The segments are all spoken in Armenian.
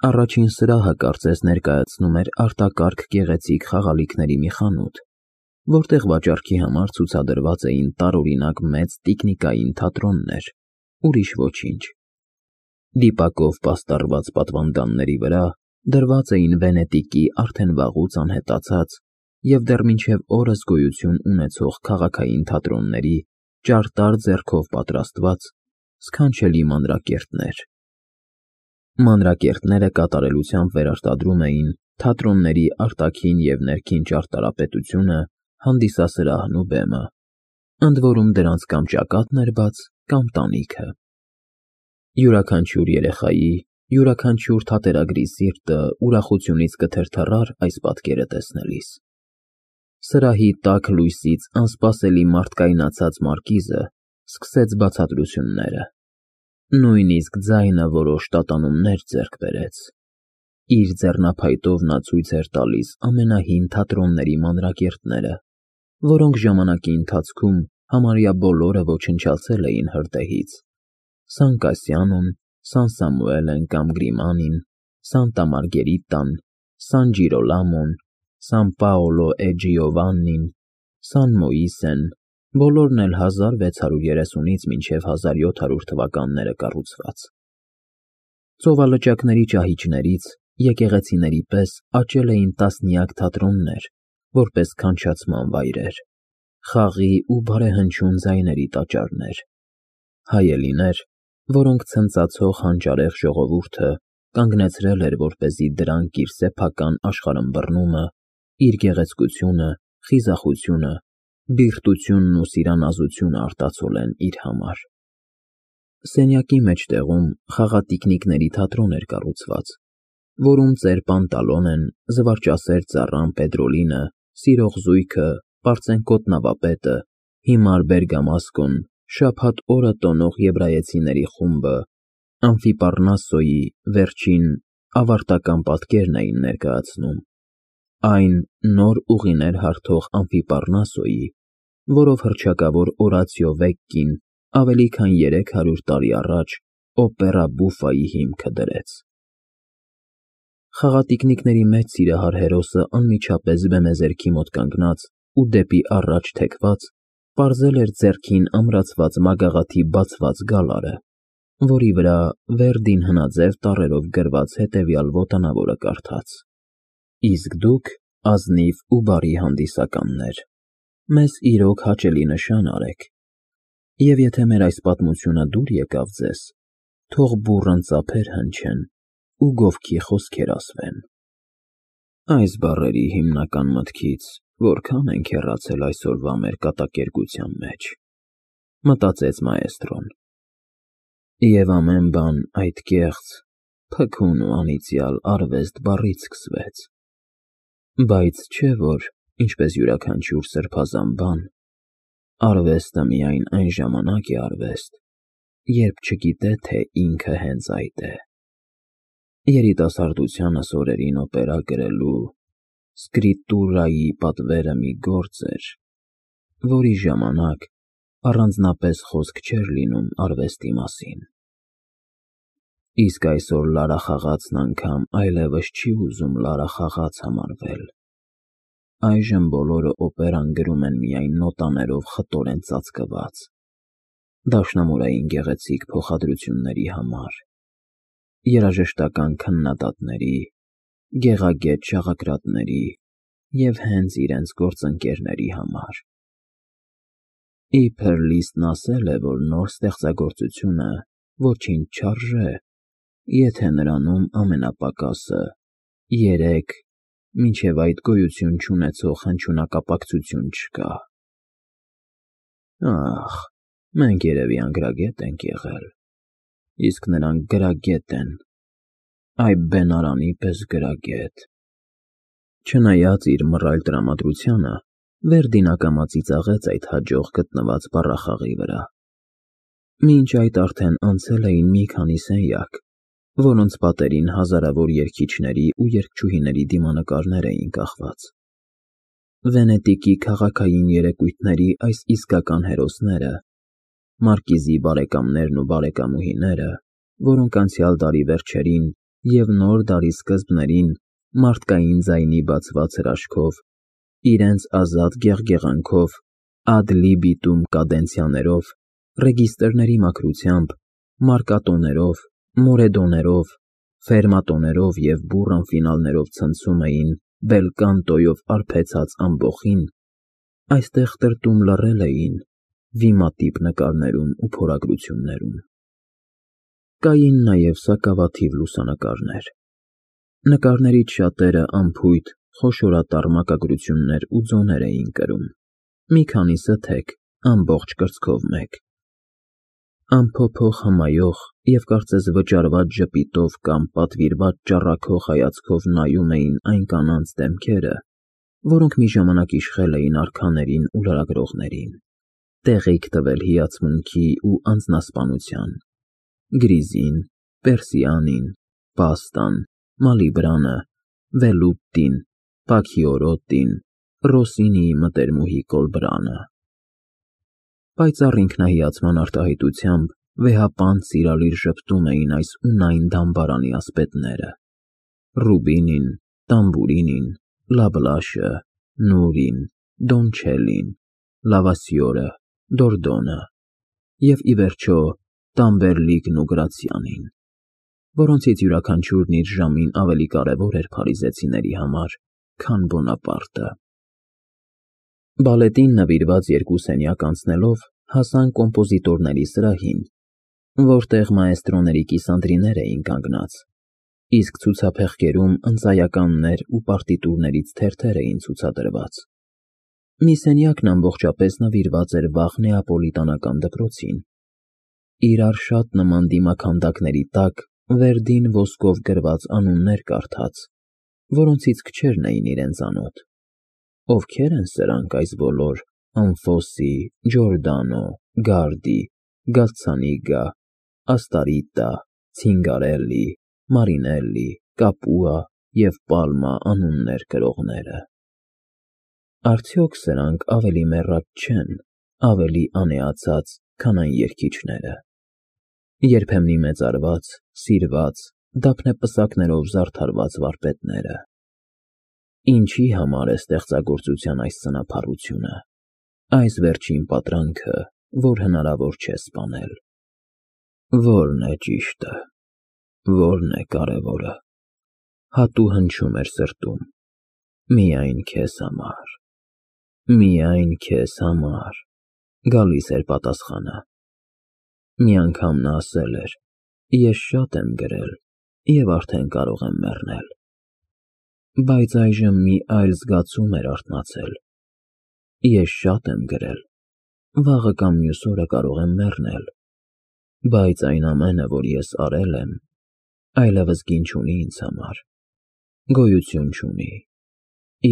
Առաջին սրահը կարծես ներկայացնում էր արտակարգ գեղեցիկ խաղալիքների մի խանութ, որտեղ վաճառքի համար ցուցադրված էին տարօրինակ մեծ տիկնիկային թատրոններ, ուրիշ ոչինչ։ Դիպակով պաստառված պատվանդանների վրա դրված էին Վենետիկի արդեն վաղուց անհետացած և դեռ մինչև օրս գոյություն ունեցող քաղաքային թատրոնների ճարտար ձեռքով պատրաստված սքանչելի մանրակերտներ։ Մանրակերտները կատարելությամբ վերարտադրում էին թատրոնների արտաքին և ներքին ճարտարապետությունը, հանդիսասրահն ու բեմը, ընդ որում դրանց կամ ճակատն էր բաց, կամ տանիքը։ Յուրաքանչյուր երեխայի, յուրաքանչյուր թատերագրի սիրտը ուրախությունից կթրթռար այս պատկերը տեսնելիս։ Սրահի տաք լույսից անսպասելի մարդկայնացած մարկիզը սկսեց բացատրությունները։ Նույնիսկ ձայնը որոշ տատանումներ ձեռք բերեց։ Իր ձեռնափայտով նա ցույց էր տալիս ամենահին թատրոնների մանրակերտները, որոնք ժամանակի ընթացքում համարյա բոլորը ոչնչացել էին հրդեհից. Սան Կասյանոն, Սան Սամուելեն կամ Գրիմանին, Սանտա Մարգերիտան, Սան Ջիրոլամոն, Սան Պաոլո է Ջիովաննին, Սան Մոիսեն, բոլորն էլ 1630-ից մինչև 1700 թվականները կառուցված։ Ծովալճակների ճահիճներից, եկեղեցիների պես աճել էին տասնյակ թատրոններ, որպես քանչացման վայրեր, խաղի ու բարեհնչյուն ձայների տաճարներ, հայելիներ, որոնք ցնծացող հանճարեղ ժողովուրդը կանգնեցրել էր, որպեսզի դրանք իր սեփական աշխարհըմբռնումը, իր գեղեցկությունը, խիզախությունը, բիրտությունն ու սիրանազությունը արտացոլեն իր համար։ Սենյակի մեջտեղում խաղատիկնիկների թատրոն էր կառուցված, որում ծեր Պանտալոնեն, զվարճասեր ծառան Պետրոլինը, սիրող զույգը, պարծենկոտ նավապետը, հիմար Բերգամասկոն, շաբաթ օրը տոնող եբրայեցիների խումբը, Ամֆիպառնասոյի վերջին ավարտական պատկերն էին ներկայացնում, այն նոր ուղիներ հարթող Ամֆիպառնասոյի, որով հռչակավոր Օրացիո Վեկկին ավելի քան 300 տարի առաջ օպերա բուֆայի հիմքը դրեց։ Խաղատիկնիկների մեծ սիրահար հերոսը անմիջապես բեմեզերքի մոտ կանգնած ու դեպի առաջ թեքված պարզել էր ձեռքին ամրացված մագաղաթի բացված գալարը, որի վրա Վերդին հնաձև տառերով գրված հետևյալ ոտանավորը կարդաց. Իսկ դուք, ազնիվ ու բարի հանդիսականներ, մեզ իրոք հաճելի նշան արեք, և եթե մեր այս պատմությունը դուր եկավ ձեզ, թող բուռն ծափեր հնչեն ու գովքի խոսքեր ասվեն։ Այս բառերի հիմնական մտքից որքան ենք հեռացել այսօրվա մեր կատակերգության մեջ, մտածեց մաեստրոն։ Եվ ամեն բան այդ կեղծ, փքուն ու անիծյալ արվեստ բառից սկսվեց։ Բայց չէ՞ որ, ինչպես յուրաքանչյուր սրբազան բան, արվեստը միայն այն ժամանակ է արվեստ, երբ չգիտե, թե ինքը հենց այդ է։ Երիտասարդությանս օրերին օպերա գրելու, սկրիտուրայի պատվերը մի գործ էր, որի ժամանակ առանձնապես խոսք չէր լինում արվեստի մասին։ Իսկ այսօր լարախաղացն անգամ այլևս չի ուզում լարախաղաց համարվել։ Այժմ բոլորը օպերան գրում են միայն նոտաներով խտորեն ծածկված, դաշնամուրային գեղեցիկ փոխադրությունների համար, երաժշտական քննադատների, գեղագետ շաղակրատների և հենց իրենց գործընկերների համար։ Իբր Լիսթն ասել է, որ նոր ստեղծագործությունը ոչինչ չարժե, եթե նրանում ամենապակասը 3 մինչև այդ գոյություն չունեցող հնչյունակապակցություն չկա։ Ախ, մենք երևի անգրագետ ենք եղել, իսկ նրանք գրագետ են, այ բենարանի պես գրագետ։ Չնայած իր մռայլ տրամադրությանը, Վերդին ակամա ծիծաղեց այդ հաջող գտնված բառախաղի վրա։ Մինչ այդ արդեն անցել էին մի քանի սենյակ, որոնց պատերին հազարավոր երգիչների ու երգչուհիների դիմանկարներ էին կախված։ Վենետիկի քաղաքային երեկույթների այս իսկական հերոսները, մարկիզի բարեկամներն ու բարեկամուհիները, որոնք անցյալ դարի վերջերին և նոր դարի սկզբներին մարդկային ձայնի բացված հրաշքով, իրենց ազատ գեղգեղանքով, ad libitum կադենցիաներով, ռեգիստրների մաքրությամբ, մարկատոներով, մորեդոներով, ֆերմատոներով և բուռն ֆինալներով ցնցում էին բելկանտոյով արբեցած ամբոխին, այստեղ տրտում լռել էին վիմատիպ նկարներում ու փորագրություններում։ Կային նաև սակավաթիվ լուսանկարներ։ Նկարներից շատերը անփույթ, խոշորատառ մակագրություններ ու ձոներ էին կրում, մի քանիսը թեք, ամբողջ կրծքով մեկ։ Անփոփոխ հմայող և կարծես վճարված ժպիտով կամ պատվիրված ճառագող հայացքով նայում էին այն կանանց դեմքերը, որոնք մի ժամանակ իշխել էին արքաներին ու լրագրողներին, տեղիք տվել հիացմունքի ու անձնասպանության, Գրիզին, Պերսիանին, Պաստան, Մալիբրանը, Վելուտտին, Պաքիորոտտին, Ռոսինիի մտերմուհի Կոլբրանը։ Պայծառ ինքնահիացման արտահայտությամբ վեհապանծ սիրալիր ժպտում էին այս ու այն դամբարանի ասպետները. Ռուբինին, Տամբուրինին, Լաբլաշը, Նուրին, Դոնչելին, Լավասյորը, Դորդոնը և, ի վերջո, Տամբերլիկն ու Գրացիանին, որոնցից յուրաքանչյուրն իր ժամին ավելի կարևոր էր փարիզեցիների համար, քան Բոնապարտը։ Բալետին նվիրված երկու սենյակ անցնելով հասան կոմպոզիտորների սրահին, որտեղ մաեստրոների կիսանդրիներ էին կանգնած, իսկ ցուցափեղկերում ընծայականներ ու պարտիտուրներից թերթեր էին ցուցադրված։ Մի սենյակն ամբողջապես նվիրված էր վաղ նեապոլիտանական դպրոցին, իրար շատ նման դիմաքանդակների տակ վերդին ոսկով գրված անուններ կարդաց, որոնցից քչերն էին իրեն ծանոթ։ Ովքե՞ր են սրանք այս բոլոր Անֆոսի, Ջորդանո, Գարդի, Գալցանիգա, Աստարիտա, Ցինգարելլի, Մարինելլի, Կապուա և Պալմա անուններ կրողները։ Արդյոք սրանք ավելի մեռած չեն, ավելի անեացած, քան այն երգիչները, երբեմնի մեծարված, սիրված, դափնեպսակներով զարդարված վարպետները։ Ինչի համար է ստեղծագործության այս սնափառությունը, այս վերջին պատրանքը, որ հնարավոր չէ սպանել։ Ո՞րն է ճիշտը, ո՞րն է կարևորը։ Հատու հնչում էր սրտում. միայն քեզ համար, միայն քեզ համար, գալիս էր պատասխանը։ Մի անգամ նա ասել էր. ես շատ եմ գրել և արդեն կարող եմ մեռնել։ Բայց այժմ մի այլ զգացում էր արթնացել. ես շատ եմ գրել, վաղը կամ մյուս օրը կարող եմ մեռնել, բայց այն ամենը, որ ես արել եմ, այլևս գին չունի ինձ համար, գոյություն չունի,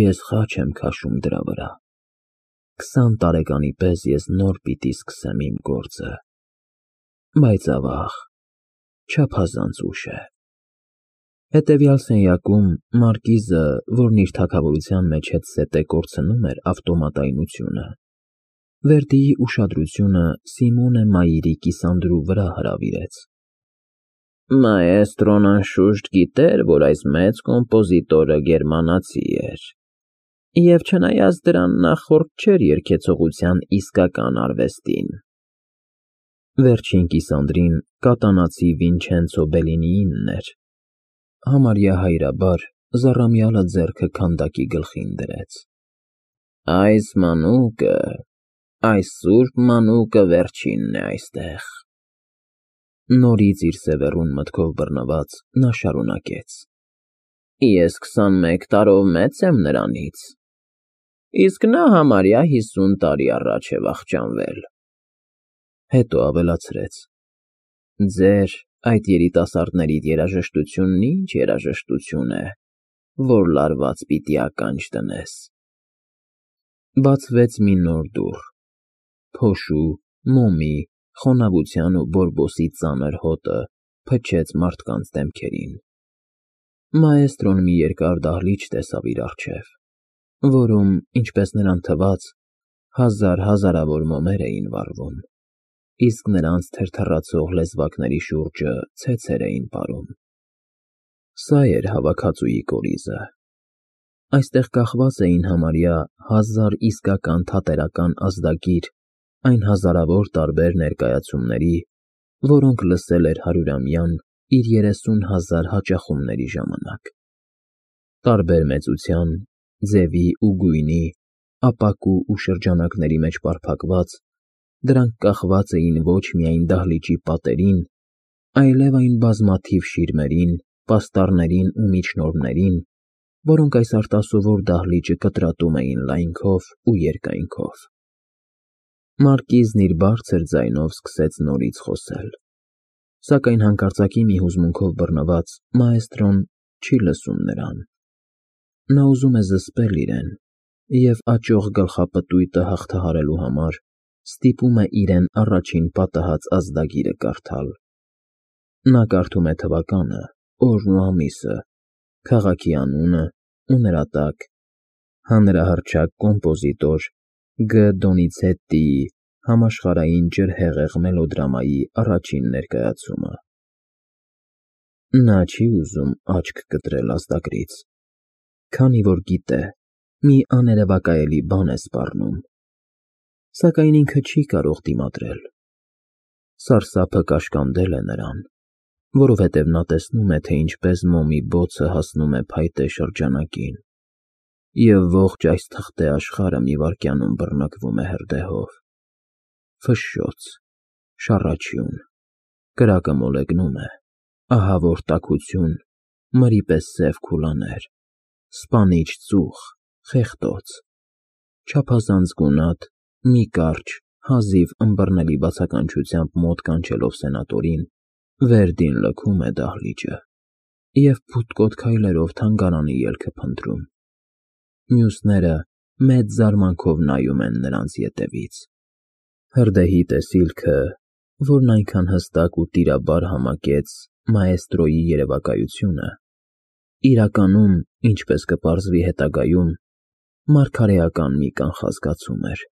ես խաչ եմ քաշում դրա վրա։ 20 տարեկանի պես ես նոր պիտի սկսեմ իմ գործը, բայց ավաղ, չափազանց ուշ է։ Հետևյալ սենյակում մարկիզը, որն իր թագավորության մեջ հետզհետե կորցնում էր ավտոմատայնությունը, Վերդիի ուշադրությունը Սիմոնե Մայիրի կիսանդրու վրա հրավիրեց։ Մաեստրոն անշուշտ գիտեր, որ այս մեծ կոմպոզիտորը գերմանացի էր, և չնայած դրան նախորդ չէր երգեցողության իսկական արվեստին։ Վերջին կիսանդրին կատանացի Վինչենցո Բելլինիինն էր, համարյա հայրաբար զառամյալը ձեռքը քանդակի գլխին դրեց։ Այս մանուկը, այս սուրբ մանուկը վերջինն է այստեղ։ Նորից իր սևեռուն մտքով բռնված նա շարունակեց. Ես 21 տարով մեծ եմ նրանից, իսկ նա համարյա 50 տարի առաջ է վախճանվել։ Հետո ավելացրեց. Ձեր այդ երիտասարդների երաժշտությունն ինչ երաժշտություն է, որ լարված պիտի ականջ դնես։ Բացվեց մի նոր դուռ, փոշու, մոմի, խոնավության ու բորբոսի ծանր հոտը փչեց մարդկանց դեմքերին։ Մաեստրոն մի երկար դահլիճ տեսավ իր առջև, որում, ինչպես նրան թվաց, հազարավոր մոմեր էին վառվում, իսկ նրանց թրթռացող լեզվակների շուրջը ցեցեր էին պարում։ Սա էր հավաքածուի կորիզը։ Այստեղ կախված էին համարյա 1000 իսկական թատերական ազդագիր այն հազարավոր տարբեր ներկայացումների, որոնք լսել էր հարյուրամյան իր 30,000 հաճախումների ժամանակ։ Տարբեր մեծության, ձևի ու գույնի, ապակու ու շրջանակների մեջ պարփակված, դրանք կախված էին ոչ միայն դահլիճի պատերին, այլև այն բազմաթիվ շիրմերին, պաստառներին ու միջնորմներին, որոնք այս արտասովոր դահլիճը կտրատում էին լայնքով ու երկայնքով։ Մարկիզն իր բարձր ձայնով սկսեց նորից խոսել, սակայն հանկարծակի մի հուզմունքով բռնված մաեստրոն չի լսում նրան։ Նա ուզում է զսպել իրեն և աճող գլխապտույտը հաղթահարելու համար ստիպում է իրեն առաջին պատահած ազդագիրը կարդալ։ Նա կարդում է թվականը, օրն ու ամիսը, քաղաքի անունը ու նրա տակ հանրահռչակ կոմպոզիտոր Գ. Դոնիցետտիի համաշխարհային ջրհեղեղ մելոդրամայի առաջին ներկայացումը։ Նա չի ուզում աչք կտրել ազդագրից, քանի որ գիտե, մի աներևակայելի բան է սպառնում, սակայն ինքը չի կարող դիմադրել։ Սարսափը կաշկանդել է նրան, որովհետև նա տեսնում է, թե ինչպես մոմի բոցը հասնում է փայտե շրջանակին, և ողջ այս թղթե աշխարհը մի վայրկյանում բռնկվում է հրդեհով։ Ֆշշոց, շառաչյուն, կրակը մոլեգնում է, ահավոր տաքություն, մրի պես սև քուլաներ, սպանիչ ծուխ, խեղդոց, չափազանց գունատ, մի կարճ, հազիվ ըմբռնելի բացականչությամբ մոտ կանչելով սենատորին, Վերդին լքում է դահլիճը և փութկոտ քայլերով թանգարանի ելքը փնտրում։ Մյուսները մեծ զարմանքով նայում են նրանց ետևից։ Հրդեհի տեսիլքը, որն այնքան հստակ ու տիրաբար համակեց մաեստրոյի երևակայությունը, իրականում, ինչպես կպարզվի հետագայում, մարգարեական մի կանխազգացում էր։